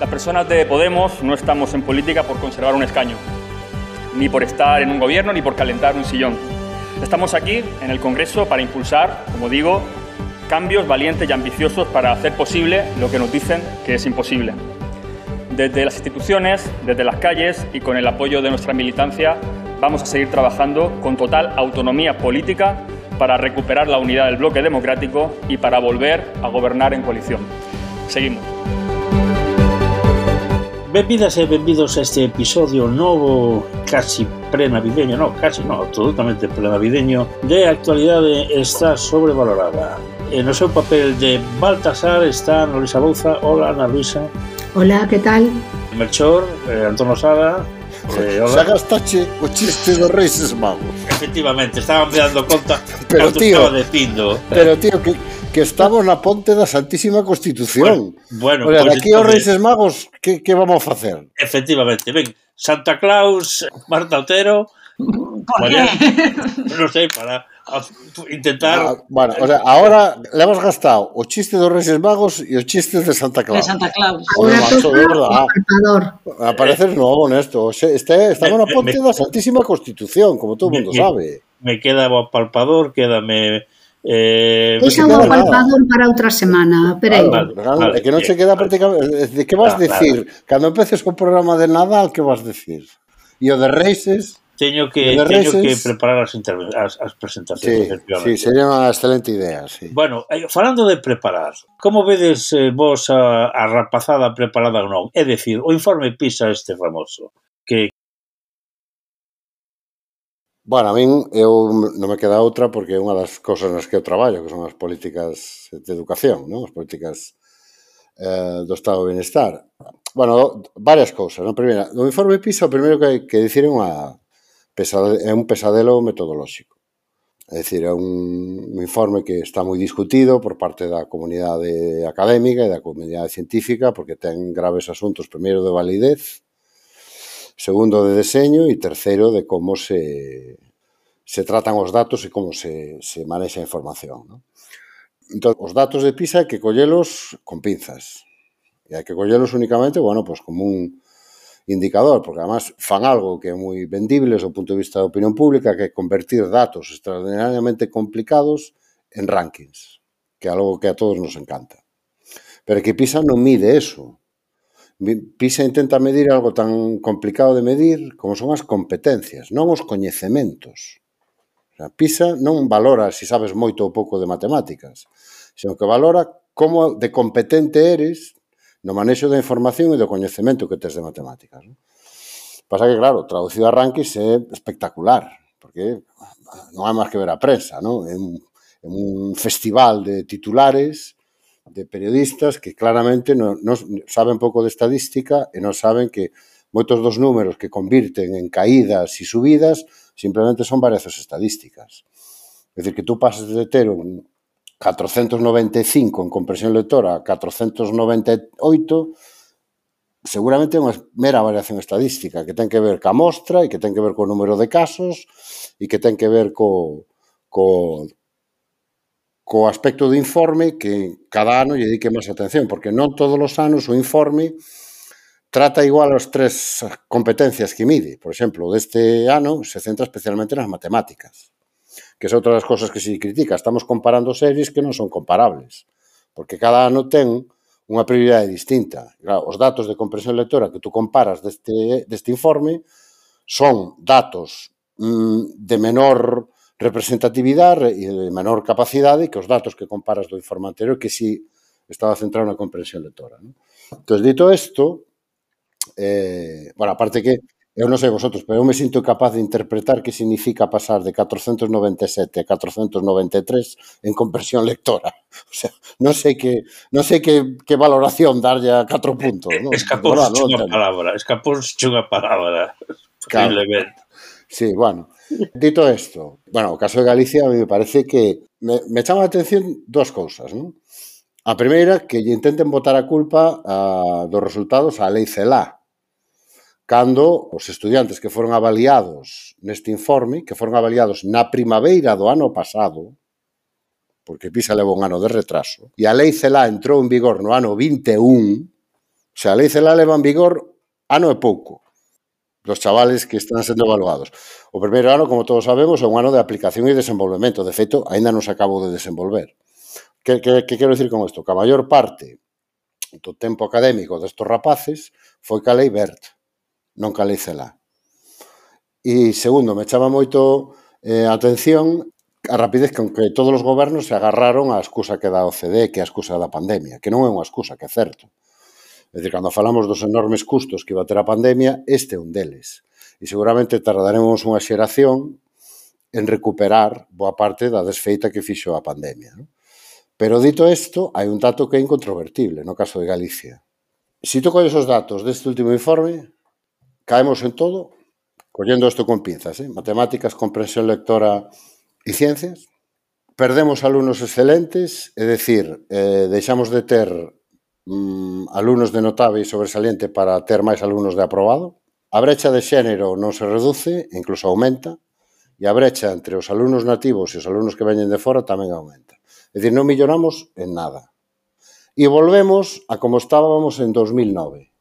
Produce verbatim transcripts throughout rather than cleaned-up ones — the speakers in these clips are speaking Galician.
Las personas de Podemos no estamos en política por conservar un escaño, ni por estar en un gobierno, ni por calentar un sillón. Estamos aquí, en el Congreso, para impulsar, como digo, cambios valientes y ambiciosos para hacer posible lo que nos dicen que es imposible. Desde las instituciones, desde las calles y con el apoyo de nuestra militancia, vamos a seguir trabajando con total autonomía política para recuperar la unidad del bloque democrático y para volver a gobernar en coalición. Seguimos. Benvidas e benvidos a este episodio novo, casi pre-navideño, no, casi no, absolutamente pre-navideño, de Actualidade está sobrevalorada. En o seu papel de Baltasar está Ana Luisa Bouza. Hola, Ana Luisa. Hola, ¿qué tal? Melchor, eh, Antonio Sada. Eh, xa gastache o chiste dos Reis Magos. Efectivamente, estaban dando conta pero tío, estaba de pindo. Pero tío, que, que estamos na ponte da Santísima Constitución. Bueno, bueno, o sea, pues aquí os Reis Magos, que, que vamos a facer? Efectivamente, ven, Santa Claus, Marta Otero. ¿Por qué? Non sei, para intentar... Ah, bueno, o sea, ahora le hemos gastado o chiste dos Reis Magos e os chistes de Santa Claus. De Santa Claus. Ahora toca o palpador. A parecer novo nesto. Este, estamos na ponte da Santísima Constitución, como todo o mundo me, sabe. Me queda o palpador, quédame... Eh, Deixa o palpador para outra semana, pero vale, vale, vale, é que non se queda prácticamente... De que vas claro, decir? Claro. Cando empeces o programa de Nadal, que vas decir? E o de Reises... Teño que, teño Reises, que preparar as, as, as presentacións. Sí, sí, sería unha excelente idea. Sí. Bueno, falando de preparar, como vedes eh, vos a, a rapazada preparada ou non? É dicir, o informe PISA este famoso, que... Bueno, a min eu non me queda outra porque é unha das cousas nas que eu traballo, que son as políticas de educación, non? As políticas eh, do Estado de Bienestar. Bueno, varias cousas, non? Primeira, no informe PISA, o primeiro que hai que dicir é unha é un pesadelo metodolóxico. É dicir, é un, un informe que está moi discutido por parte da comunidade académica e da comunidade científica porque ten graves asuntos, primeiro de validez, segundo de deseño e terceiro de como se, se tratan os datos e como se, se manexa a información. ¿No? Entón, os datos de PISA hai que collelos con pinzas. E hai que collelos únicamente, bueno, pues como un indicador, porque además fan algo que é moi vendible do punto de vista da opinión pública, que é convertir datos extraordinariamente complicados en rankings, que é algo que a todos nos encanta. Pero que PISA non mide eso. PISA intenta medir algo tan complicado de medir como son as competencias, non os coñecementos. O sea, PISA non valora se sabes moito ou pouco de matemáticas, senón que valora como de competente eres no manexo da información e do coñecemento que tes de matemáticas. ¿No? Pasa que, claro, traducido a rankings é espectacular, porque non hai máis que ver a prensa, ¿no? É un, é un festival de titulares, de periodistas que claramente non, non saben pouco de estadística e non saben que moitos dos números que convirten en caídas e subidas simplemente son variacións estadísticas. É dicir, que tú pases de ter un catrocentos noventa e cinco en compresión lectora a catrocentos noventa e oito, seguramente é unha mera variación estadística que ten que ver ca mostra e que ten que ver co número de casos e que ten que ver co, co, co aspecto do informe que cada ano lle dedique máis atención, porque non todos os anos o informe trata igual as tres competencias que mide. Por exemplo, deste ano se centra especialmente nas matemáticas, que é outra das cosas que se critica. Estamos comparando series que non son comparables, porque cada ano ten unha prioridade distinta. Claro, os datos de comprensión lectora que tú comparas deste, deste informe son datos mmm, de menor representatividade e de menor capacidade que os datos que comparas do informe anterior que si estaba centrado na comprensión lectora. ¿No? Entón, dito isto, eh, bueno, aparte que eu non sei vosotros, pero eu me sinto capaz de interpretar que significa pasar de catrocentos noventa e sete a catrocentos noventa e tres en comprensión lectora. O sea, non sei que non sei que, que valoración darlle a catro puntos. ¿No? Escapóse no, unha palabra, escapóse unha palabra. Claro. Sí, bueno. Dito isto, bueno, o caso de Galicia a mí me parece que me, me chama a atención dúas cousas, ¿no? A primeira, que lle intenten botar a culpa a, dos resultados á lei CELA, cando os estudiantes que foron avaliados neste informe, que foron avaliados na primavera do ano pasado, porque PISA leva un ano de retraso, e a lei CELA entrou en vigor no ano vinte e un, O sea, a lei CELA leva en vigor ano e pouco dos chavales que están sendo evaluados. O primeiro ano, como todos sabemos, é un ano de aplicación e desenvolvemento. De feito, aínda non se acabou de desenvolver. Que, que, que quero dicir con isto? Que a maior parte do tempo académico destos rapaces foi ca lei BERT, non ca lei CELA. E segundo, me chama moito eh, a atención a rapidez con que todos os gobernos se agarraron á excusa que dá o C D, que é a excusa da pandemia, que non é unha excusa, que é certo. É dicir, cando falamos dos enormes custos que iba a ter a pandemia, este é un deles. E seguramente tardaremos unha xeración en recuperar boa parte da desfeita que fixo a pandemia, non? Pero dito isto, hai un dato que é incontrovertible no caso de Galicia. Se tú colles os datos deste último informe, caemos en todo, collendo isto con pinzas, eh? Matemáticas, comprensión lectora e ciencias. Perdemos alumnos excelentes, é dicir, eh, deixamos de ter mm, alumnos de notable e sobresaliente para ter máis alumnos de aprobado. A brecha de xénero non se reduce, incluso aumenta, e a brecha entre os alumnos nativos e os alumnos que veñen de fora tamén aumenta. É dicir, non milloramos en nada. E volvemos a como estábamos en dos mil nove.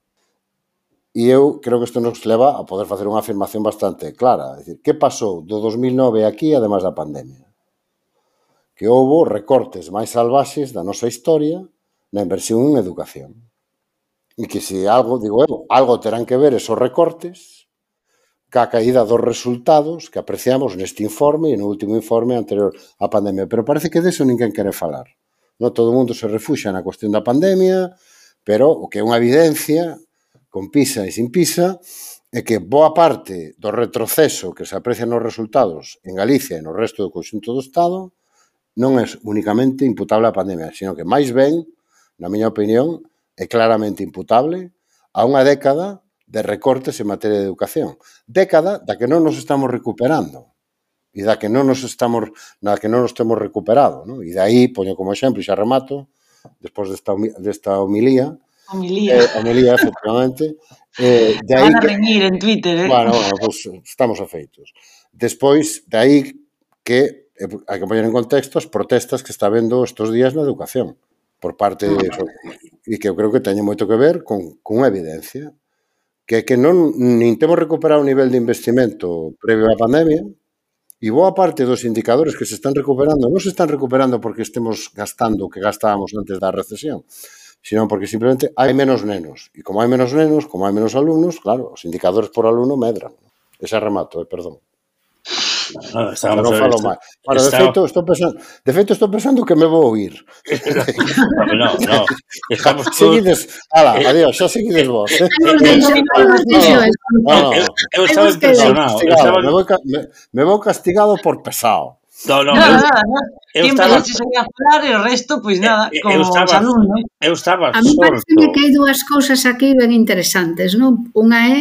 E eu creo que isto nos leva a poder facer unha afirmación bastante clara. É dicir, que pasou do dos mil nove aquí, ademais da pandemia? Que houbo recortes máis salvaxes da nosa historia na inversión en educación. E que se algo, digo eu, algo terán que ver esos recortes ca caída dos resultados que apreciamos neste informe e no último informe anterior á pandemia. Pero parece que deso ninguén quere falar. Non todo o mundo se refuxa na cuestión da pandemia, pero o que é unha evidencia, con PISA e sin PISA, é que boa parte do retroceso que se aprecia nos resultados en Galicia e no resto do conxunto do Estado non é únicamente imputable á pandemia, sino que máis ben, na miña opinión, é claramente imputable a unha década de recortes en materia de educación. Década da que non nos estamos recuperando e da que non nos estamos, na que non nos temos recuperado, non? E de aí, poño como exemplo, e xa remato, despois desta, desta homilía, Homilía. Eh, homilía, efectivamente. Eh, de aí Van a que, reñir en Twitter, eh? Bueno, bueno, pues estamos afeitos. Despois, de aí que eh, hai que poñer en contexto as protestas que está vendo estes días na educación por parte de eso, e que eu creo que teñen moito que ver con, con unha evidencia que é que non nin temos recuperado o nivel de investimento previo á pandemia e boa parte dos indicadores que se están recuperando non se están recuperando porque estemos gastando o que gastábamos antes da recesión, sino porque simplemente hai menos nenos. E como hai menos nenos, como hai menos alumnos, claro, os indicadores por alumno medran. Ese remato, eh, perdón. No, estamos non falo máis. Bueno, de feito, estou pensando, de feito, estou pensando que me vou oír. No, no, no. Estamos todos... Seguides, ala, adiós, xa seguides vos. Eh? Eu estaba impresionado. Me vou, me, me vou castigado por pesado. No, no, nada, nada, nada. Quen empezase a falar e o resto, pois nada, como os alumnos. Eu estaba a mí parece que hai dúas cousas aquí ben interesantes, non? Unha é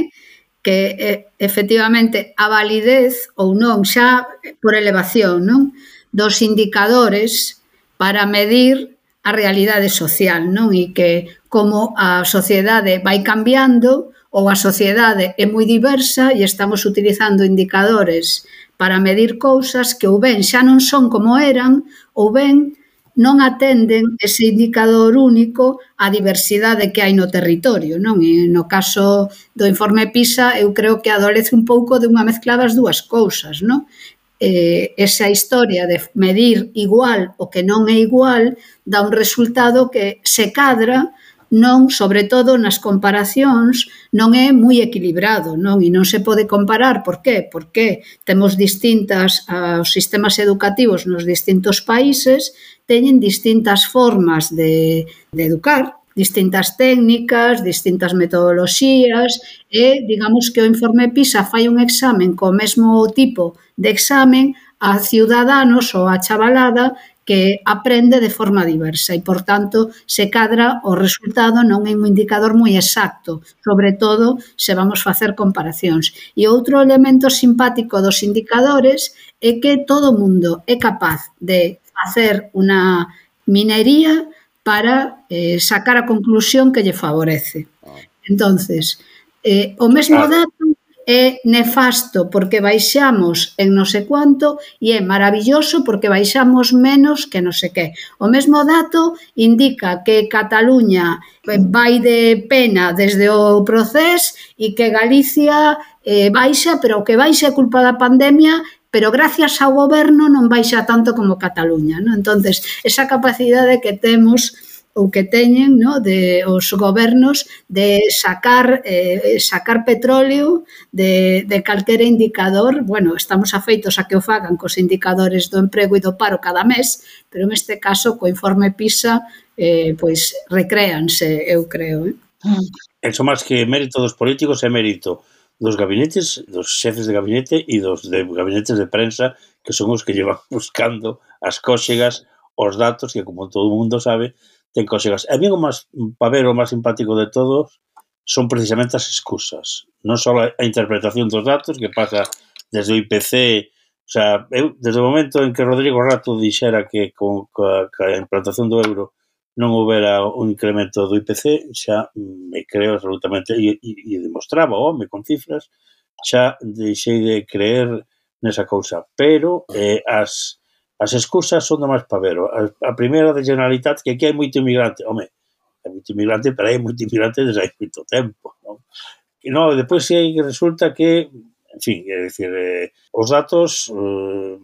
que eh, efectivamente a validez ou non xa por elevación, non, dos indicadores para medir a realidade social, non? E que como a sociedade vai cambiando ou a sociedade é moi diversa e estamos utilizando indicadores para medir cousas que ou ben xa non son como eran ou ben non atenden ese indicador único á diversidade que hai no territorio, non? E no caso do informe PISA eu creo que adolece un pouco de unha mezcla das dúas cousas, non? Eh, esa historia de medir igual o que non é igual dá un resultado que se cadra, non, sobre todo nas comparacións, non é moi equilibrado, non? E non se pode comparar, por qué? Porque temos distintas, os sistemas educativos nos distintos países teñen distintas formas de, de educar, distintas técnicas, distintas metodoloxías e, digamos que o informe PISA fai un examen co mesmo tipo de examen a ciudadanos ou a chavalada que aprende de forma diversa e, por tanto, se cadra o resultado non é un indicador moi exacto, sobre todo se vamos facer comparacións. E outro elemento simpático dos indicadores é que todo o mundo é capaz de facer unha minería para eh, sacar a conclusión que lle favorece. Entonces, eh, o mesmo dato é nefasto porque baixamos en non sei cuánto e é maravilloso porque baixamos menos que non sei que. O mesmo dato indica que Cataluña vai de pena desde o Procés e que Galicia eh, baixa, pero o que baixa é culpa da pandemia, pero gracias ao goberno non baixa tanto como Cataluña, ¿no? Entonces, esa capacidade que temos ou que teñen, ¿no?, de os gobernos de sacar eh, sacar petróleo de, de calquera indicador. Bueno, estamos afeitos a que o fagan cos indicadores do emprego e do paro cada mes, pero neste caso, co informe PISA, eh, pois recréanse, eu creo. Eh? Eso máis que mérito dos políticos é mérito dos gabinetes, dos xefes de gabinete e dos de gabinetes de prensa, que son os que llevan buscando as cóxegas, os datos, que como todo o mundo sabe, ten cóxegas. A mí o máis pavero, o máis simpático de todos son precisamente as excusas. Non só a interpretación dos datos, que pasa desde o I P C, o sea, eu, desde o momento en que Rodrigo Rato dixera que con, ca, ca implantación do euro non houbera un incremento do I P C, xa me creo absolutamente, e, e, e demostraba o home con cifras, xa deixei de creer nesa cousa. Pero eh, as As excusas son do máis pavero. A, a primeira de Generalitat, que aquí hai moito inmigrante. Home, hai moito inmigrante, pero hai moito inmigrante desde hai moito tempo. Non? E non, depois sí resulta que, en fin, é dicir, eh, os datos eh,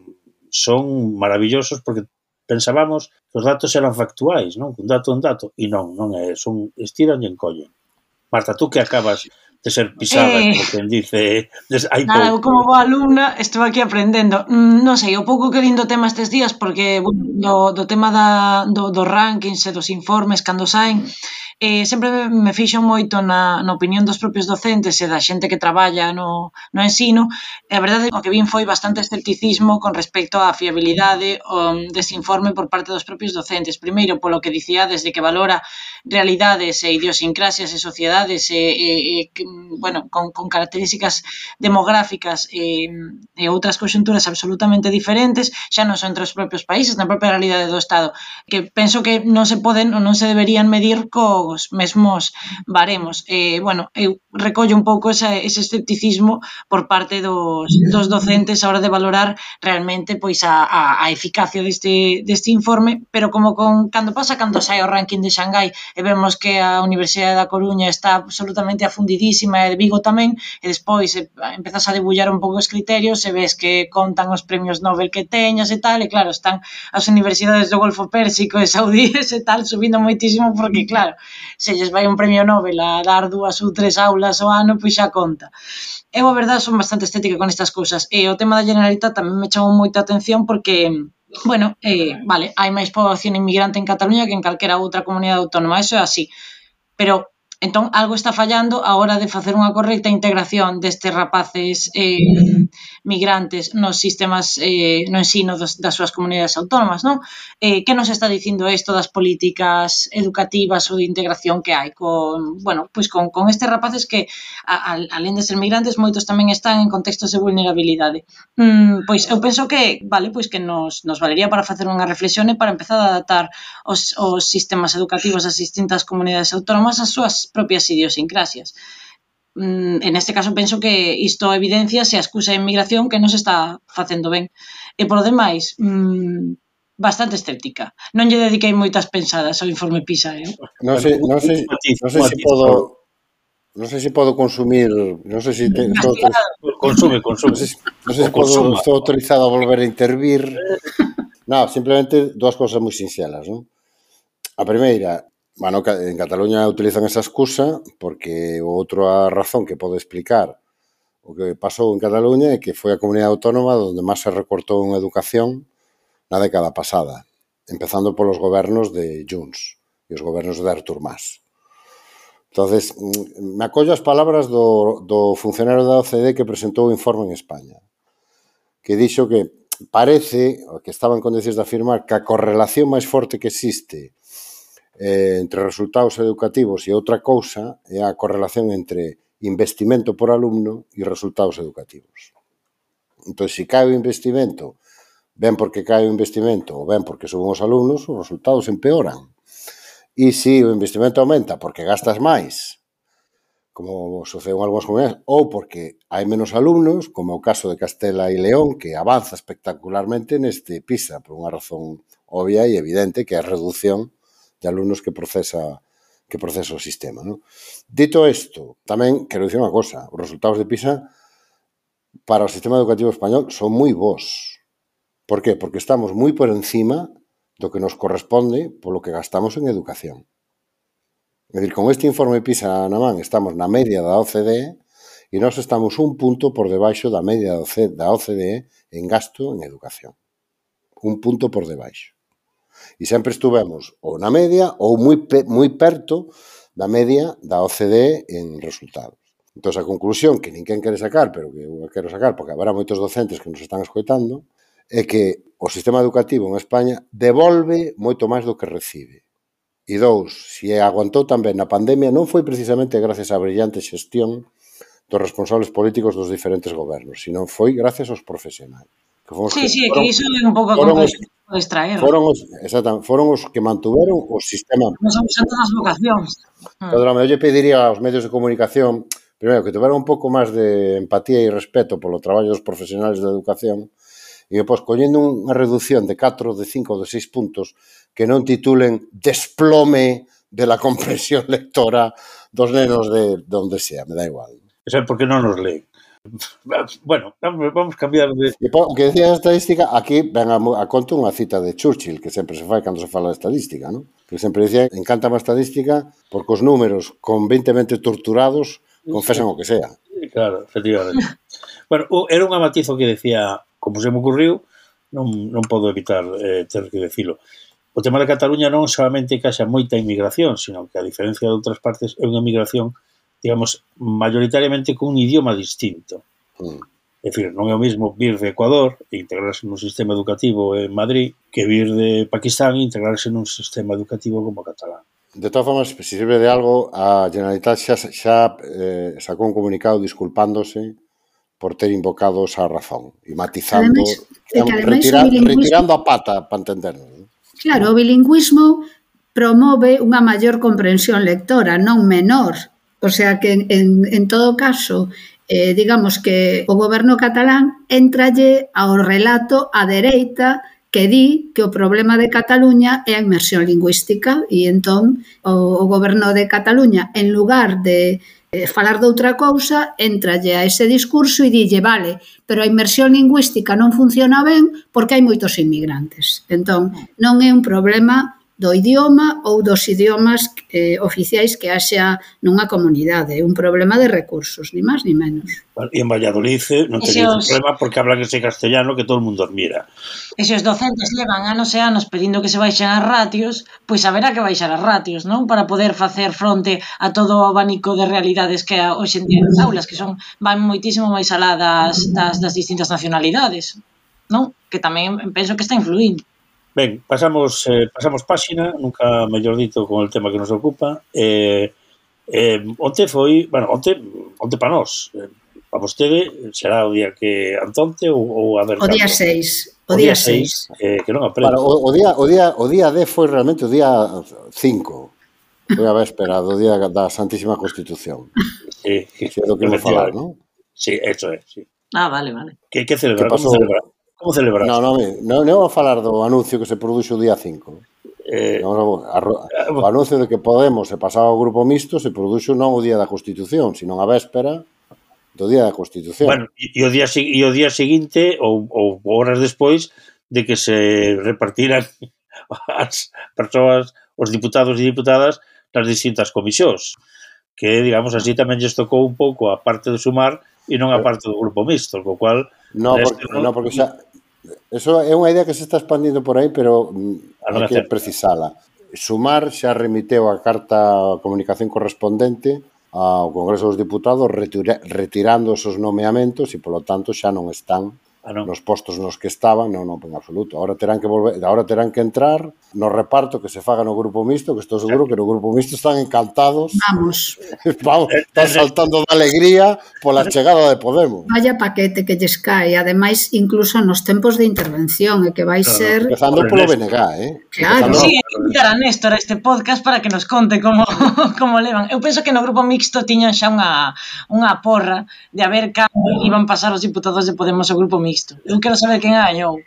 son maravillosos porque pensábamos que os datos eran factuais, non? Un dato un dato. E non, non é, son estiran e encollen. Marta, tú que acabas de ser pisada, eh, como quen dice, hai nada, eu como boa alumna estou aquí aprendendo. Mm, non sei, o pouco que lindo tema estes días, porque do, do tema da, do, dos rankings e dos informes cando saen, eh, sempre me fixo moito na, na opinión dos propios docentes e da xente que traballa no, no ensino, e a verdade o que vin foi bastante escepticismo con respecto á fiabilidade um, deste informe por parte dos propios docentes. Primeiro, polo que dicía, desde que valora realidades e idiosincrasias e sociedades e, e, e bueno, con, con características demográficas e, e outras conxunturas absolutamente diferentes, xa non son entre os propios países, na propia realidade do Estado, que penso que non se poden ou non se deberían medir cos mesmos baremos. E, bueno, eu recollo un pouco esa, ese escepticismo por parte dos, dos docentes a hora de valorar realmente pois a, a, a eficacia deste, deste informe, pero como con cando pasa cando sai o ranking de Xangai e vemos que a Universidade da Coruña está absolutamente afundidísima e de Vigo tamén, e despois empezas a debullar un pouco os criterios e ves que contan os premios Nobel que teñas e tal, e claro, están as universidades do Golfo Pérsico e saudíes e tal subindo moitísimo porque claro, se lles vai un premio Nobel a dar dúas ou tres aulas ao ano, pois xa conta. Eu, a verdade, son bastante estética con estas cousas. E o tema da Generalitat tamén me chamou moita atención porque, bueno, eh, vale, hai máis poboación inmigrante en Cataluña que en calquera outra comunidade autónoma, eso é así. Pero, entón, algo está fallando a hora de facer unha correcta integración destes rapaces eh, migrantes nos sistemas, eh, no ensino dos, das súas comunidades autónomas, non? Eh, que nos está dicindo isto das políticas educativas ou de integración que hai con, bueno, pois con, con estes rapaces que, a, a, alén de ser migrantes, moitos tamén están en contextos de vulnerabilidade. Mm, pois eu penso que, vale, pois que nos, nos valería para facer unha reflexión e para empezar a adaptar os, os sistemas educativos das distintas comunidades autónomas ás súas propias idiosincrasias. En este caso penso que isto evidencia se a excusa de inmigración que non se está facendo ben. E polo demais, mmm, bastante escéptica. Non lle dediquei moitas pensadas ao informe PISA, eh? Non sei, non sei, non sei se podo non sei se podo consumir, non sei se te, estou consume, consume. Non sei, non sei se podo, estou autorizado a volver a intervir. Non, simplemente dúas cousas moi sinxelas, non? A primeira, bueno, en Cataluña utilizan esa excusa porque outra razón que pode explicar o que pasou en Cataluña é que foi a comunidade autónoma onde máis se recortou en educación na década pasada, empezando polos gobernos de Junts e os gobernos de Artur Mas. Entonces, me acollo as palabras do, do funcionario da O C DE que presentou o informe en España, que dixo que parece, que estaba en condicións de afirmar, que a correlación máis forte que existe Eh, entre resultados educativos e outra cousa é a correlación entre investimento por alumno e resultados educativos. Entón, se cae o investimento, ben porque cae o investimento ou ben porque suben os alumnos, os resultados empeoran. E se o investimento aumenta porque gastas máis, como sucede en algunhas comunidades, ou porque hai menos alumnos, como o caso de Castela e León, que avanza espectacularmente neste PISA, por unha razón obvia e evidente, que é a reducción de alumnos que procesa que procesa o sistema, ¿no? Dito isto, tamén quero dicir unha cosa, os resultados de PISA para o sistema educativo español son moi bons. Por qué? Porque estamos moi por encima do que nos corresponde polo que gastamos en educación. É dicir, con este informe PISA na man estamos na media da O C D E e nós estamos un punto por debaixo da media da O C D E en gasto en educación. Un punto por debaixo. E sempre estuvemos ou na media ou moi, moi perto da media da O C D E en resultados. Entón, a conclusión que ninguén quere sacar, pero que eu quero sacar porque haberá moitos docentes que nos están escoitando, é que o sistema educativo en España devolve moito máis do que recibe. E dous, se aguantou tamén na pandemia, non foi precisamente gracias á brillante xestión dos responsables políticos dos diferentes gobernos, sino foi gracias aos profesionais. Que sí, que, sí, foron, que iso é un pouco a comprensión de extraer. Foron os, exactamente, foron os que mantuveron o sistema. Non son todas as vocacións. Pedro, eu lle pediría aos medios de comunicación, primeiro, que tuveran un pouco máis de empatía e respeto polo traballo dos profesionais da educación, e depois, collendo unha reducción de catro, de cinco, de seis puntos, que non titulen desplome de la comprensión lectora dos nenos de donde sea, me da igual. Eso é porque non nos leen. Bueno, vamos a cambiar de... E po, que decía a estadística, aquí ven a, a conto unha cita de Churchill, que sempre se fai cando se fala de estadística, ¿no? Que sempre dicía, encanta a estadística porque os números convintemente torturados confesan o que sea. Claro, efectivamente. Bueno, era unha matizo que decía, como se me ocurriu, non, non podo evitar eh, ter que decilo. O tema de Cataluña non solamente que haxa moita inmigración, sino que a diferencia de outras partes é unha inmigración, digamos, mayoritariamente con un idioma distinto. Mm. É dicir, non é o mesmo vir de Ecuador e integrarse nun sistema educativo en Madrid que vir de Pakistán e integrarse nun sistema educativo como o catalán. De todas formas, se sirve de algo, a Generalitat xa, xa eh, sacou un comunicado disculpándose por ter invocado esa razón e matizando, ademais, digamos, retira, retirando a pata para entendernos. ¿No? Claro, o bilingüismo promove unha maior comprensión lectora, non menor. O sea que, en, en todo caso, eh, digamos que o goberno catalán entralle ao relato a dereita que di que o problema de Cataluña é a inmersión lingüística e entón o, o goberno de Cataluña, en lugar de eh, falar de outra cousa, entralle a ese discurso e dille, vale, pero a inmersión lingüística non funciona ben porque hai moitos inmigrantes. Entón, non é un problema do idioma ou dos idiomas eh, oficiais que haxa nunha comunidade. É un problema de recursos, ni máis ni menos. E en Valladolid non teñen ese problema porque hablan ese castellano que todo o mundo admira. E se os docentes levan anos e anos pedindo que se baixen as ratios, pois haberá que baixar as ratios, non? Para poder facer fronte a todo o abanico de realidades que hoxe en día nas aulas, que son van moitísimo máis alá das, das, das distintas nacionalidades, non? Que tamén penso que está influindo. Ben, pasamos eh, pasamos páxina, nunca mellor dito, con o tema que nos ocupa. Eh, eh, onte foi, bueno, onte, onte para nós, eh, para vostede, será o día que antonte ou, ou a ver... O día seis. O, o día seis. Eh, que non aprende. Para, o, o, día, o, día, o día D foi realmente o día cinco. Foi a véspera do día da Santísima Constitución. Sí, que é do que vou falar, non? Sí, eso é, sí. Ah, vale, vale. Que, que celebrar? Como celebrar? Como celebrar? Non, non, non, non vou falar do anuncio que se produxo o día cinco. Eh, non, a, a, o anuncio de que Podemos se pasaba ao grupo mixto se produxo non o día da Constitución, sino a véspera do día da Constitución. Bueno, e o día, e o día seguinte, ou, ou horas despois, de que se repartiran as persoas, os diputados e diputadas nas distintas comisións. Que, digamos, así tamén lles tocou un pouco a parte de Sumar e non a parte do grupo mixto, co cual... No, porque, no, no, porque xa... Eso é unha idea que se está expandindo por aí, pero hai que precisala. Sumar xa remiteu a carta a comunicación correspondente ao Congreso dos Diputados retirando esos nomeamentos e, polo tanto, xa non están Ah, non. Nos postos nos que estaban, non, non, en absoluto. Ahora terán que volver, ahora terán que entrar no reparto que se faga no grupo mixto, que estou seguro que no grupo mixto están encantados. Vamos. Vamos, están saltando de alegría pola chegada de Podemos. Vaya paquete que lles cae, ademais incluso nos tempos de intervención, e que vai No, no, ser... Empezando polo B N G, eh? Claro. Empezando- Sí, hai que invitar a Néstor a este podcast para que nos conte como, como levan. Eu penso que no grupo mixto tiñan xa unha, unha porra de a ver cando iban pasar os diputados de Podemos ao grupo mixto. Eu quero saber quen gañou.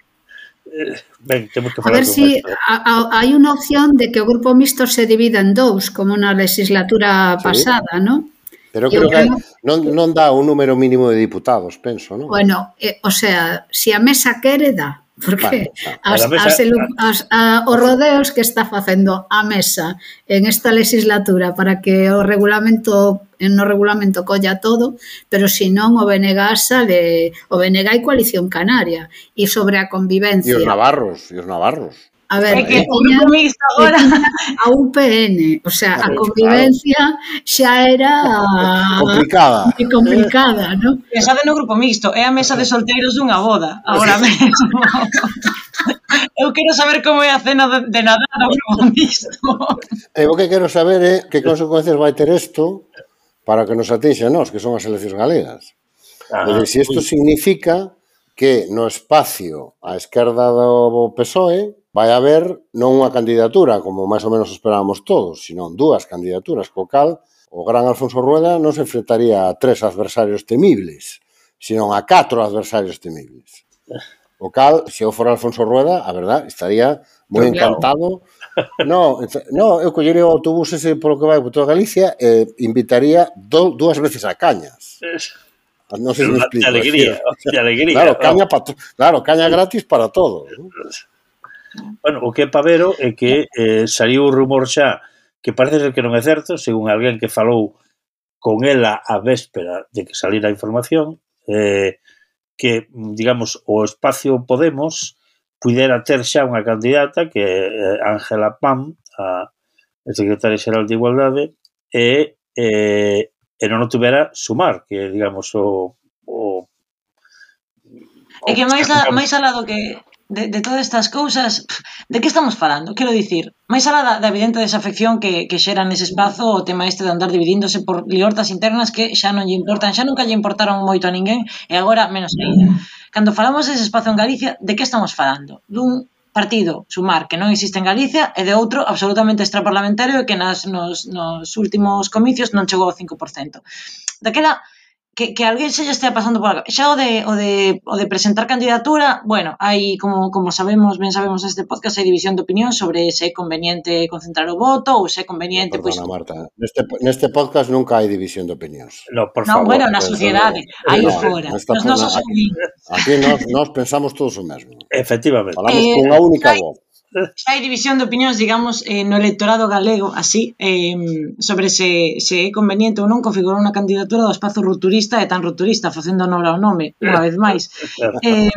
Ben, temos que A falar ver con si Néstor. a, a, hai unha opción de que o grupo mixto se divida en dous, como na legislatura Sí. pasada, non? Pero Eu creo que creo- non, non dá un número mínimo de diputados, penso, non? Bueno, eh, o sea, si a mesa quere, dá. Porque Vale, as, a mesa- as, elu- as, a, os rodeos que está facendo a mesa en esta legislatura para que o regulamento no regulamento colla todo, pero si non o B N G sale, o B N G e Coalición Canaria, e sobre a E convivencia. os navarros, e os navarros. A ver, É que que o tiña, grupo mixto que agora... tiña a U P N, o sea, a convivencia xa era Complicada. moi complicada, non? Pensade no grupo mixto, é a mesa de solteiros dunha boda, agora mesmo. Eu quero saber como é a cena de, de Nadal no grupo mixto. E o que quero saber é que consecuencias vai ter isto para que nos atinxe a nós, que son as eleccións galegas. Ah, É dicir, se isto ui. significa que no espacio á esquerda do P S O E vai haber non unha candidatura, como máis ou menos esperábamos todos, sino dúas candidaturas, co cal o gran Alfonso Rueda non se enfrentaría a tres adversarios temibles, sino a catro adversarios temibles. O cal, se eu fora Alfonso Rueda, a verdad, estaría moi Claro. encantado. No, no, eu collería o autobús ese polo que vai por toda Galicia e invitaría do, dúas veces a Cañas. Non sei se me De explico. alegría, de alegría. Claro, caña, pa to- claro, caña gratis para todo. ¿no? Bueno, o que é pavero é que eh, saliu o rumor xa que parece ser que non é certo, según alguén que falou con ela a véspera de que salira a información, eh, que, digamos, o espacio Podemos pudera ter xa unha candidata que é eh, Ángela Pam, a secretaria xeral de Igualdade, e, eh, e non o tuvera Sumar, que é, digamos, o... o É que máis, a, máis alá do que de, de todas estas cousas, pff, de que estamos falando? Quero dicir, máis alá da, da evidente desafección que, que xera nese espazo o tema este de andar dividíndose por liortas internas que xa non lle importan, xa nunca lle importaron moito a ninguén e agora menos ainda. Cando falamos dese espazo en Galicia, de que estamos falando? Dun partido, Sumar, que non existe en Galicia, e de outro absolutamente extraparlamentario e que nas, nos, nos últimos comicios non chegou ao cinco por cento. Daquela que, que alguén se lle estea pasando por acá. Xa o de, o de, o de presentar candidatura, bueno, hai, como, como sabemos, ben sabemos neste podcast, hai división de opinión sobre se é conveniente concentrar o voto ou se é conveniente, pois... Perdona, Marta. Neste, neste podcast nunca hai división de opinións. No, por Non, favor. bueno, na pues, sociedade, aí no, fora, nesta nos nosos zona- ouvintes. Aquí nós, nós pensamos todos o mesmo. Efectivamente. Falamos Eh, cunha única hai- voz. Xa hai división de opinións, digamos, eh, no electorado galego, así, eh, sobre se, se é conveniente ou non configurar unha candidatura do espazo rupturista e tan rupturista, facendo honor ao nome, unha vez máis. Eh,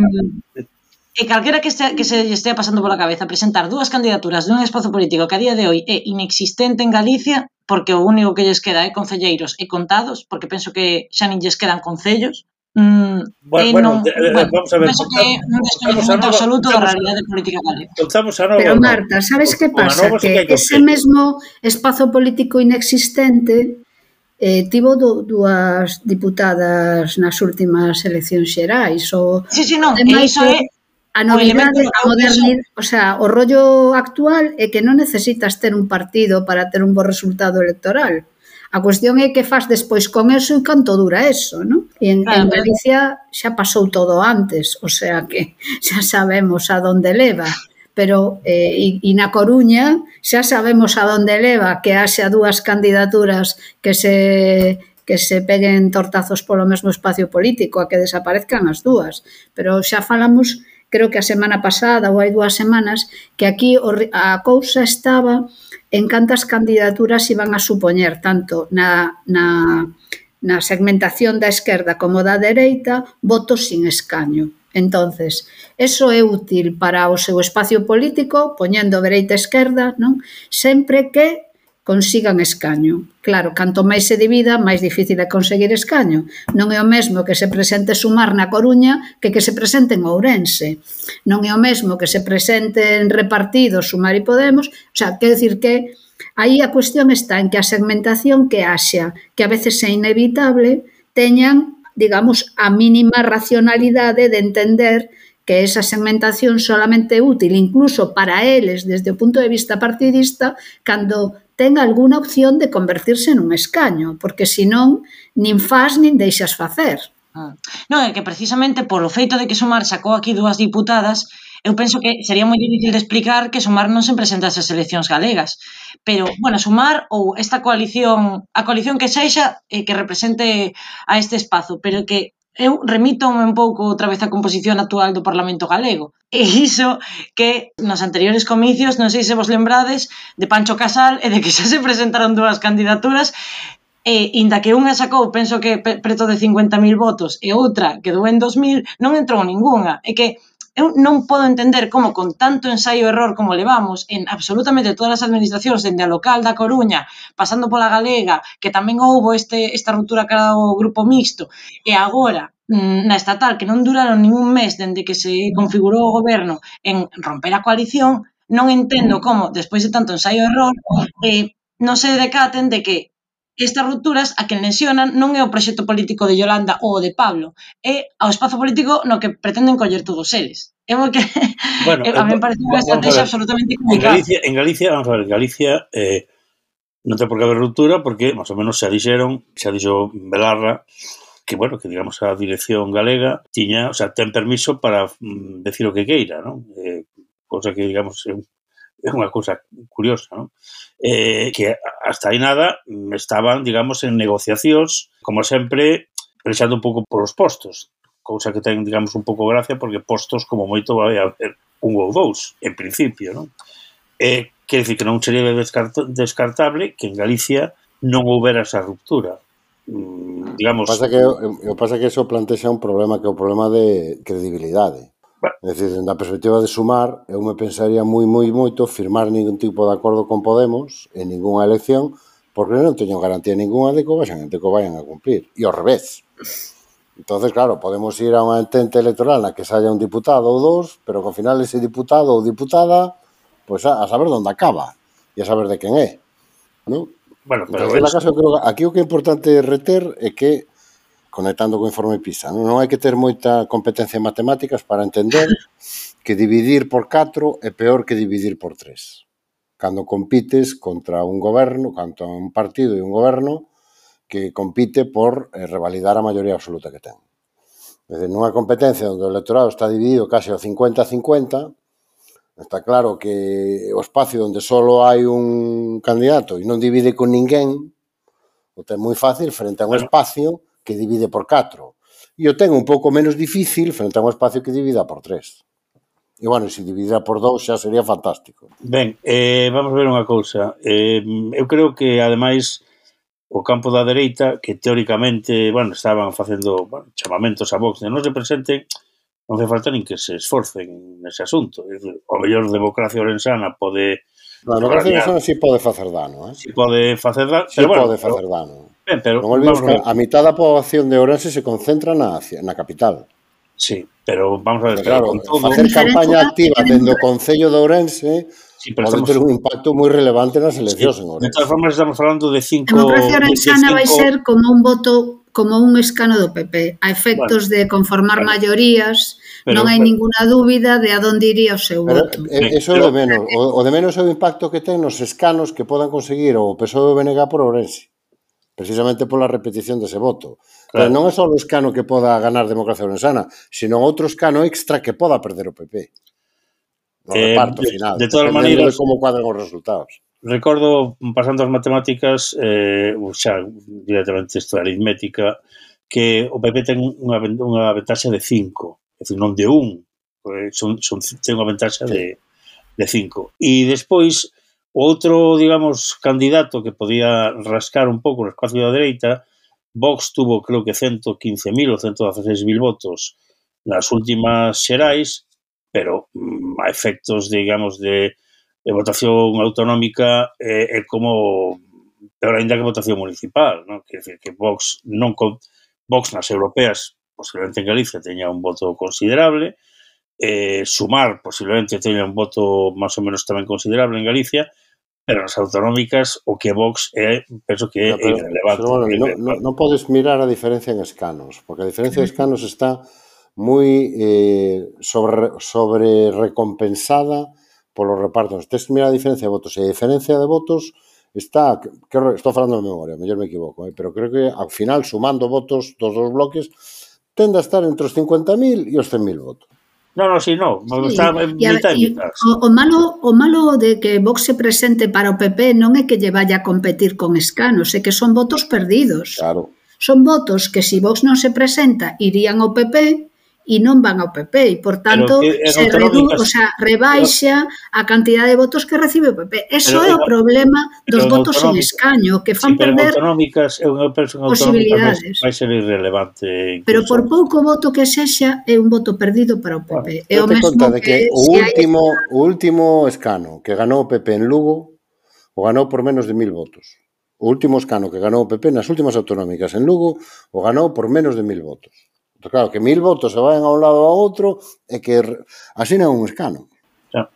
e calquera que, este, que se lle estea pasando pola cabeza presentar dúas candidaturas dun espazo político que a día de hoy é inexistente en Galicia, porque o único que lles queda é concelleiros e contados, porque penso que xa nin lles quedan concellos. Mm, Bueno, eh, bueno, non, de- de- bueno, vamos a ver, penso que é un contamos- descoñecemento contamos a nova- absoluto da contamos a- realidade política galega. Contamos a nova. Pero ou non? Marta, sabes que Con a pasa? nova sí Que hai ese concello. mesmo espazo político inexistente eh, tivo do, dúas diputadas nas últimas eleccións xerais. O, Sí, sí, non, e ademais, iso é a o elemento novidade, no a que eu modernidade, o sea, o rollo actual é que non necesitas ter un partido para ter un bo resultado electoral. A cuestión é que faz despois con eso e canto dura eso, non? E en, Claro, en pero- Galicia xa pasou todo antes, o sea que xa sabemos a donde leva. Pero eh, e, e na Coruña xa sabemos a donde leva, que haxa dúas candidaturas que se que se peguen tortazos polo mesmo espacio político, a que desaparezcan as dúas. Pero xa falamos, creo que a semana pasada ou hai dúas semanas, que aquí a cousa estaba en cantas candidaturas iban a supoñer, tanto na, na, na segmentación da esquerda como da dereita, votos sin escaño. Entonces, eso é útil para o seu espacio político, poñendo dereita e esquerda, non? Sempre que consigan escaño. Claro, canto máis se divida, máis difícil é conseguir escaño. Non é o mesmo que se presente Sumar na Coruña que que se presente en Ourense. Non é o mesmo que se presente en repartidos Sumar e Podemos. O sea, quero dicir que aí a cuestión está en que a segmentación que haxa, que a veces é inevitable, teñan, digamos, a mínima racionalidade de entender que esa segmentación solamente é útil incluso para eles desde o punto de vista partidista cando ten alguna opción de convertirse nun escaño, porque senón nin faz nin deixas facer. Ah. Non, é que precisamente polo feito de que Sumar sacou aquí dúas diputadas, eu penso que sería moi difícil de explicar que Sumar non se presentase ás eleccións galegas. Pero, bueno, Sumar ou esta coalición, a coalición que sexa, eh, que represente a este espazo, pero que eu remítome un pouco outra vez a composición actual do Parlamento galego. E iso que nos anteriores comicios, non sei se vos lembrades, de Pancho Casal e de que xa se presentaron dúas candidaturas, e inda que unha sacou, penso que preto de cincuenta mil votos e outra quedou en dos mil, non entrou ningunha. É que eu non podo entender como con tanto ensaio e error como levamos en absolutamente todas as administracións, dende a local da Coruña, pasando pola galega, que tamén houbo este, esta ruptura cara ao grupo mixto, e agora na estatal, que non duraron ningún mes dende que se configurou o goberno en romper a coalición, non entendo como, despois de tanto ensaio e error, eh, non se decaten de que estas rupturas a quen lesionan non é o proxecto político de Yolanda ou o de Pablo, é ao espazo político no que pretenden coller todos eles. É o que bueno, a mí me parece unha estrategia absolutamente complicada. En Galicia, en Galicia, vamos a ver, en Galicia eh, non ten por que haber ruptura porque, máis ou menos, xa dixeron, xa dixo Belarra, que, bueno, que digamos a dirección galega tiña, o sea, ten permiso para mm, decir o que queira, non? Eh, cosa que, digamos, é un é unha cousa curiosa, non? Eh, que hasta aí nada estaban, digamos, en negociacións, como sempre, prexando un pouco polos postos, cousa que ten, digamos, un pouco gracia, porque postos, como moito, vai haber un ou dous, en principio, non? Eh, quer dicir que non sería descartable que en Galicia non houbera esa ruptura. Mm, digamos... O pasa que, o pasa que eso plantexa un problema, que é o problema de credibilidade. É dicir, na perspectiva de Sumar, eu me pensaría moi, moi, moito firmar ningún tipo de acordo con Podemos en ninguna elección, porque non teño garantía ninguna de que o vayan, de que o vayan a cumplir. E ao revés. Entonces, claro, podemos ir a unha entente electoral na que se haya un diputado ou dos, pero que ao final ese diputado ou diputada, pois a, a saber onde acaba e a saber de quen é. ¿No? Bueno, pero Entonces, es... caso, eu creo que aquí o que é importante reter é que, conectando co informe PISA, non, non hai que ter moita competencia en matemáticas para entender que dividir por catro é peor que dividir por tres. Cando compites contra un goberno, contra un partido e un goberno que compite por eh, revalidar a maioría absoluta que ten. É dicir, nunha competencia onde o electorado está dividido case ao cincuenta a cincuenta, está claro que o espacio onde só hai un candidato e non divide con ninguén, o ten moi fácil frente a un espacio que divide por catro. E o ten un pouco menos difícil frente a un espacio que divida por tres. E, bueno, se dividira por dous xa sería fantástico. Ben, eh, vamos ver unha cousa. Eh, eu creo que, ademais, o campo da dereita, que teóricamente, bueno, estaban facendo bueno, chamamentos a Vox de non se presenten, non fai falta nin que se esforcen nese asunto. O mellor democracia orensana pode... A democracia orensana si pode facer dano, eh? Si pode facer dano. Si bueno, pode facer dano. Ben, pero, non olvidemos que a mitad da poboación de Ourense se concentra na, na capital. Sí, pero vamos a ver, claro, con todo... facer campaña activa dentro do Concello de Ourense sí, pode estamos... ter un impacto moi relevante nas eleccións sí, en Ourense. De todas formas, estamos falando de cinco... A democracia orensana vai ser como un voto, como un escano do P P, a efectos bueno, de conformar bueno, maiorías, pero, non hai pero, ninguna dúbida de a donde iría o seu pero, voto. Eh, eso é o de menos. O, o de menos é o impacto que ten nos escanos que podan conseguir o P S O E e o B N G por Ourense, precisamente pola repetición dese voto. Claro. Pero non é só o escano que poda ganar democracia orensana, sino outro escano extra que poda perder o P P. No eh, reparto de, final. De todas maneiras, de como cuadran os resultados. Recordo, pasando as matemáticas, eh, xa directamente isto é aritmética, que o P P ten unha, unha ventaxa de cinco, é dicir, non de un, son, son, ten unha ventaxa sí. de, de cinco. E despois, o outro, digamos, candidato que podía rascar un pouco no espacio da dereita, Vox tuvo, creo que, ciento quince mil ou ciento dieciséis mil votos nas últimas xerais, pero mm, a efectos, digamos, de E votación autonómica é, é como, pero ainda que votación municipal, non? Quer dizer que Vox non con, Vox nas europeas, posiblemente en Galicia teña un voto considerable, eh, Sumar posiblemente teña un voto máis ou menos tamén considerable en Galicia, pero nas autonómicas o que Vox é, penso que é no, pero, irrelevante. Pero, bueno, non no, no podes mirar a diferencia en escanos, porque a diferencia de escanos está moi eh, sobre, sobre recompensada polos repartos. Tens que mirar a diferencia de votos, e a diferencia de votos está, creo, estou falando de memoria, mellor me equivoco, eh, pero creo que ao final, sumando votos dos dos bloques, tende a estar entre os cincuenta mil e os cen mil votos. No, no, si, no, sí, está en mitad e mitad. O, o, malo, o malo de que Vox se presente para o P P non é que lle vaya a competir con escanos, é que son votos perdidos. Claro. Son votos que se si Vox non se presenta irían ao P P e non van ao P P e, por tanto, se redu, o sea, rebaixa a cantidad de votos que recibe o P P. Eso é o problema dos votos en escaño, que fan perder posibilidades. Vai ser irrelevante. Pero por pouco voto que sexa, é un voto perdido para o P P. É o mesmo que o último, o último escano que ganou o P P en Lugo o ganou por menos de mil votos. O último escano que ganou o P P nas últimas autonómicas en Lugo o ganou por menos de mil votos. Claro, que mil votos se vayan a un lado ou a outro e que así non é un escano. Xa.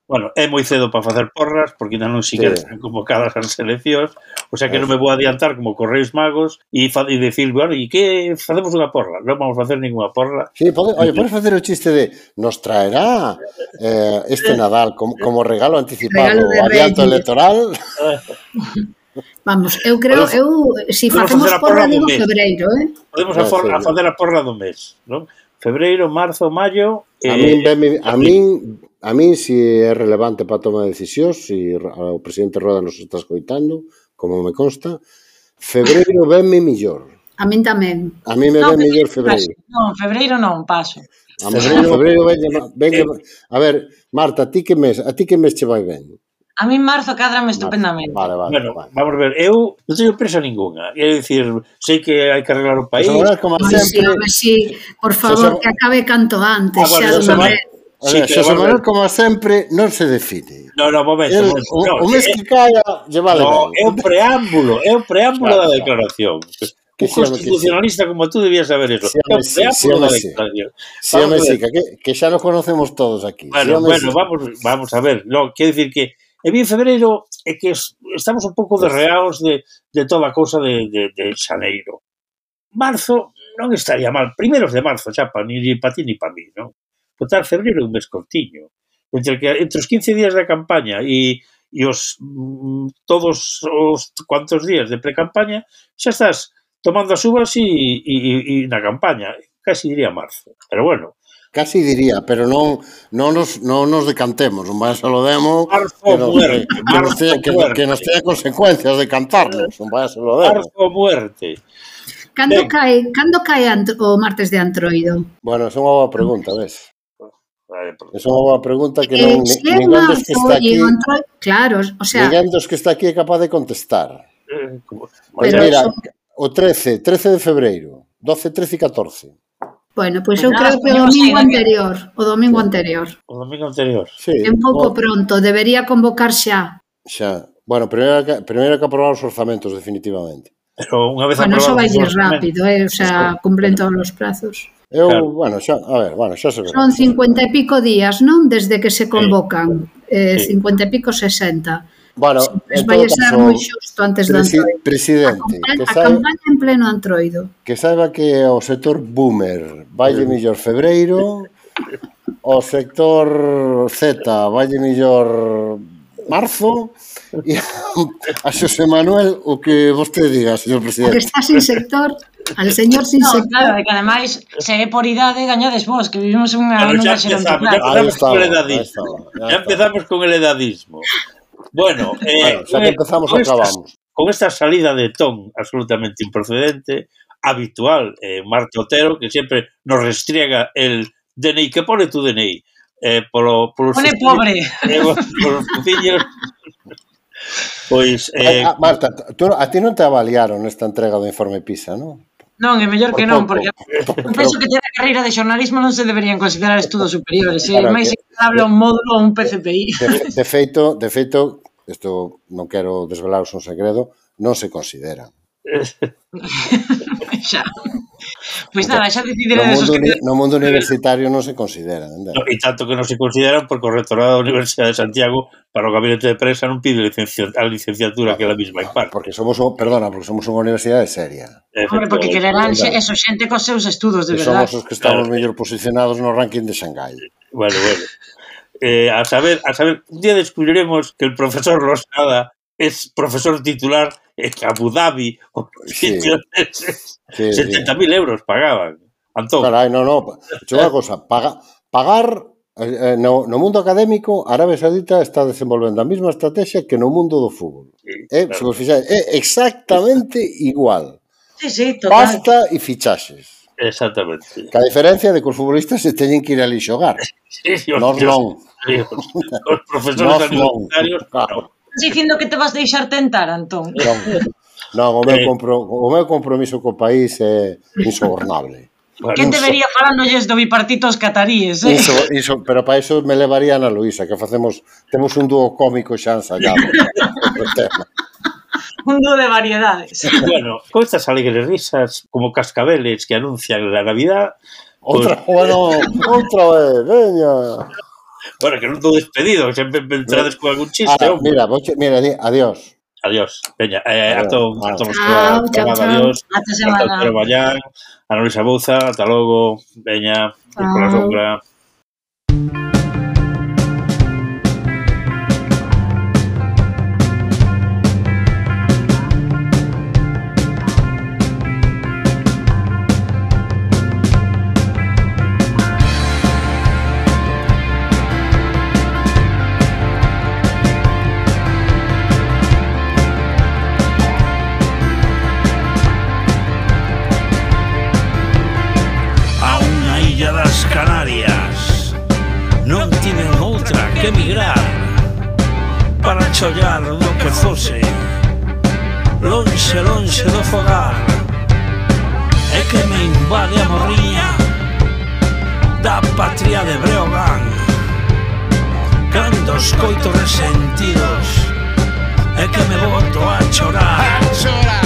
Bueno, é moi cedo para facer porras porque ainda non siquiera sí. están convocadas as eleccións, o sea que non me vou adiantar como Correos Magos e, e decir, bueno, e que facemos unha porra? Non vamos a facer ninguna porra. Sí, pode, oye, podes facer o chiste de nos traerá eh, este Nadal como, como regalo anticipado o adianto electoral. Vamos, eu creo, eu, se si facemos porra, digo febreiro, eh? Podemos a, for, a facer a porra do mes, non? Febreiro, marzo, maio... A min, eh, a min, a min, si é relevante para a toma de decisións, si o presidente Roda nos está escoitando, como me consta, febreiro venme millor. A min tamén. A min me no, ven millor febreiro. Non, febreiro non, paso. A febreiro, febreiro venme, venme, a ver, Marta, a ti que mes, a ti que mes che vai ben? A mí en marzo cadrame estupendamente. Vale, vale, bueno, vale. Vamos a ver, eu non teño presa ninguna. É dicir, sei que hai que arreglar o país. Pues como no, sempre, sí, sí, por favor, se... que acabe canto antes. Ah, bueno, xa Manuel, sí, Xosé Manuel, como sempre, non se define. No, no, momento. El, momento o, no, o mes eh, que caia, lle vale no, ben. É o preámbulo, é o preámbulo claro, da declaración. Que un constitucionalista como tú debías saber eso. Sí, home, sí, sí, sí. Sí, home, sí, que, que xa nos conocemos todos aquí. Bueno, sí, bueno sí. vamos, vamos a ver. No, quero dicir que e bien febreiro é que estamos un pouco derreados de, de toda a cousa de, de, de xaneiro. Marzo non estaría mal. Primeiros de marzo, xa, pa, ni para ti ni para mí, non? Botar febreiro é un mes cortiño. Entre, que, entre os quince días da campaña e, e os todos os cuantos días de pre-campaña xa estás tomando as uvas e, e, e na campaña. Casi diría marzo. Pero bueno, casi diría, pero non non nos, non nos decantemos, non vai a lo demo que, no, que, que, nos tenga, que, que nos tenga consecuencias de cantarnos, non vai a lo demo. Marzo muerte. Cando ben. cae, cando cae o martes de Antroido? Bueno, é unha boa pregunta, ves? É unha boa pregunta que eh, non si ninguén dos que está aquí, Antroido, claro, o sea, ninguén dos que está aquí é capaz de contestar. Eh, pues mira, eso... o trece, trece de febreiro, doce, trece e catorce. Bueno, pois pues eu creo que o domingo anterior, o domingo anterior. O domingo anterior. Sí. É un pouco pronto, debería convocar xa. Xa. Bueno, primeiro que, primeiro que aprobar os orzamentos, definitivamente. Pero unha vez bueno, aprobados... Bueno, eso vai ir rápido, eh? O sea, cumplen todos os prazos. Eu, claro. bueno, xa, a ver, bueno, xa se verá. Son cincuenta e pico días, non? Desde que se convocan. Sí. Eh, sí. cincuenta e pico, sesenta. Bueno, sí, vai ser moi xusto antes do Antroido. Presidente, a, que a saiba, campaña en pleno Antroido. Que saiba que o sector boomer valle millor febreiro, o sector Z valle millor marzo, e a Xosé Manuel o que vostede diga, señor presidente. Que está sin sector, al señor sin no, sector. Claro, que ademais, se é por idade, gañades vos, que vivimos unha... Claro, ya empezamos, ya empezamos con el edadismo. Ya empezamos con el edadismo. Bueno, eh, bueno, xa que empezamos, con acabamos. Estas, con esta salida de ton absolutamente improcedente, habitual, eh, Marte Otero, que sempre nos restriega el D N I, que pone tu D N I, eh, polo, polo pone pobre. Eh, polos fuciños. Pois... Eh, ah, Marta, tú, a ti non te avaliaron esta entrega do informe PISA, non? Non, é mellor que non, porque eu penso que ter a carreira de xornalismo non se deberían considerar estudos superiores, é máis equivalable a un módulo ou un P C P I. De, de feito, de feito, isto non quero desvelaros un segredo, non se considera. Xa. Pois nada, xa decidiré no desos mundo, que... no mundo universitario non se considera. No, e tanto que non se consideran porque o rectorado da Universidade de Santiago para o gabinete de prensa non pide licencia, a licenciatura que ela mesma imparte. Porque somos, perdona, porque somos unha universidade seria. Hombre, porque quererán eso, xente cos seus estudos, de verdade. Somos os que estamos claro. mellor posicionados no ranking de Xangai. Bueno, bueno. Eh, a saber, a saber, un día descubriremos que el profesor Rosada es profesor titular en Abu Dhabi o sí. sí, setenta mil sí. euros pagaban. Antón. Carai, no, no. Hecho unha cosa, paga, pagar eh, no, no mundo académico, Arabia Saudita está desenvolvendo a mesma estrategia que no mundo do fútbol. Sí, eh, claro. Se vos fixáis, é exactamente igual. Sí, sí, total. Pasta e fichaxes. Exactamente. Que a diferencia de que os futbolistas se teñen que ir ali xogar. Sí, sí, Nos non. Os profesores universitarios, claro. Estás dicindo que te vas deixar tentar, Antón? Non, non o, meu compro, o meu compromiso co país é insobornable. Bueno, quen debería falándolles do bipartito aos cataríes, eh? Iso, iso, pero para iso me levaría a Ana Luisa, que facemos, temos un dúo cómico xa ensayado. Un dúo de variedades. Bueno, con estas alegres risas, como cascabeles que anuncian la Navidad... Outra, pues... bueno, outra vez, veña... Bueno, que non estou despedido, que sempre me entrades con algún chiste. Ah, mira, voche, mira, adiós. Adiós. Veña, eh, adiós. Ato, ato, chao, chao, chao. Adiós. Hasta semana. Hasta Pedro Bayán, Ana Luisa Bouza, ata logo. Veña, por la sombra. Que emigrar para chollar do que fose lonxe, lonxe do fogar é que me invade a morriña da patria de Breogán cando escoito resentidos é que me boto a chorar a chorar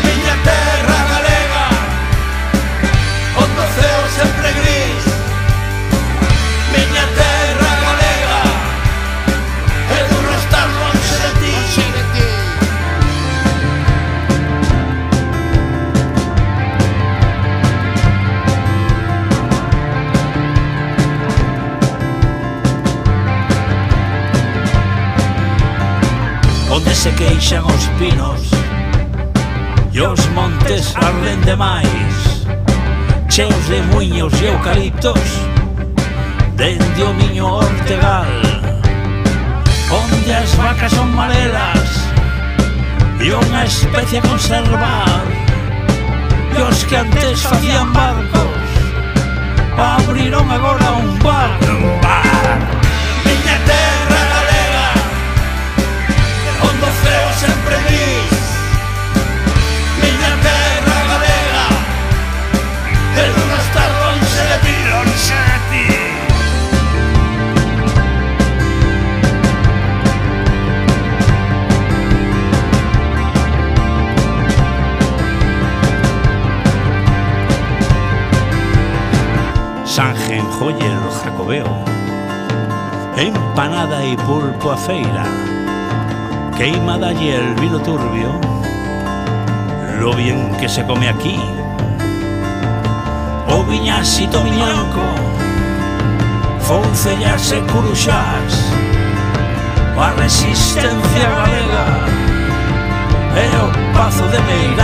miña terra galega onde o ceo sempre gris miña terra onde se queixan os pinos e os montes arden demais cheos de muiños e eucaliptos dende o miño Ortegal onde as vacas son marelas e unha especie a conservar e os que antes facían barcos abriron agora un bar un bar miña terra galega onde o ceo sempre gris miña terra galega e non estar lonxe de ti lonxe de ti Sanjen, joyer, jacobeo empanada y pulpo a feira queimada y el vino turbio lo bien que se come aquí o viñasito miñanco foncellas e curuxás a resistencia galega e o pazo de Meira